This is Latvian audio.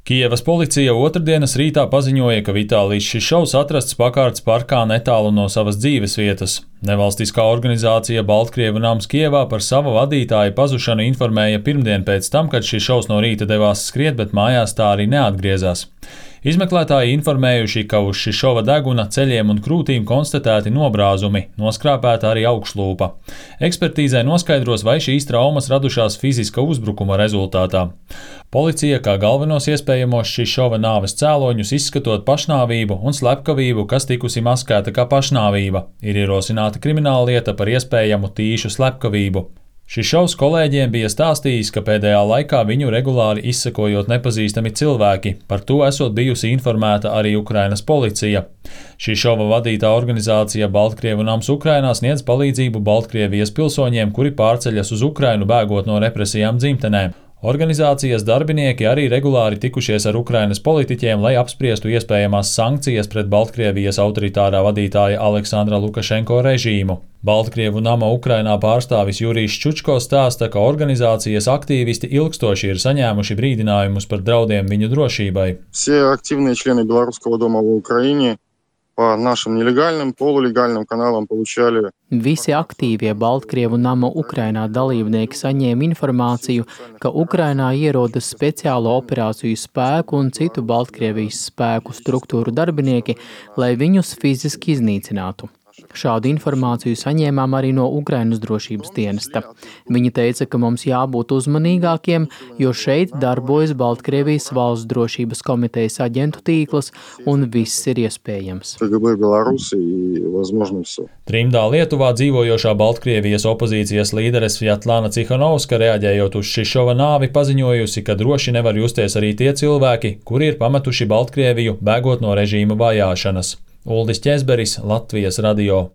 Kijevas policija otrdienas rītā paziņoja, ka Vitālijs Šišovs atrasts pakārts parkā netālu no savas dzīvesvietas. Nevalstiskā organizācija Baltkrievu nams Kijevā par savu vadītāju pazušanu informēja pirmdien pēc tam, kad Šišovs no rīta devās skriet, bet mājās tā arī neatgriezās. Izmeklētāji informējuši, ka uz Šišova deguna ceļiem un krūtīm konstatēti nobrāzumi, noskrāpēta arī augšlūpa. Ekspertīzē noskaidros, vai šīs traumas radušās fiziska uzbrukuma rezultātā. Policija kā galvenos iespējamos Šišova nāves cēloņus izskatot pašnāvību un slepkavību, kas tikusi maskēta kā pašnāvība, ir ierosināta krimināllieta par iespējamu tīšu slepkavību. Šišovs kolēģiem bija stāstījis, ka pēdējā laikā viņu regulāri izsekojot nepazīstami cilvēki, par to esot bijusi informēta arī Ukrainas policija. Šišova vadītā organizācija Baltkrievu nams Ukrainā sniedz palīdzību Baltkrievijas pilsoņiem, kuri pārceļas uz Ukrainu bēgot no represijām dzimtenē. Organizācijas darbinieki arī regulāri tikušies ar Ukrainas politiķiem, lai apspriestu iespējamās sankcijas pret Baltkrievijas autoritārā vadītāja Aleksandra Lukašenko režīmu. Baltkrievu nama Ukrainā pārstāvis Jurijs Čučko stāsta, ka organizācijas aktīvisti ilgstoši ir saņēmuši brīdinājumus par draudiem viņu drošībai. Все активные члены Белорусского дома в Украине по нашим нелегальным, полулегальным каналам получали. Visi aktīvie Baltkrievu nama Ukrainā dalībnieki saņēma informāciju, ka Ukrainā ierodas speciālo operāciju spēku un citu Baltkrievijas spēku struktūru darbinieki, lai viņus fiziski iznīcinātu. Šādu informāciju saņēmām arī no Ukrainas drošības dienesta. Viņi teica, ka mums jābūt uzmanīgākiem, jo šeit darbojas Baltkrievijas valsts drošības komitejas aģentu tīkls un viss ir iespējams. Trimdā Lietuvā dzīvojošā Baltkrievijas opozīcijas līdere Svjatlana Cihanovska reaģējot uz Šišova nāvi paziņojusi, ka droši nevar justies arī tie cilvēki, kuri ir pametuši Baltkrieviju, bēgot no režīma vajāšanas. Uldis Ķezberis, Latvijas radio.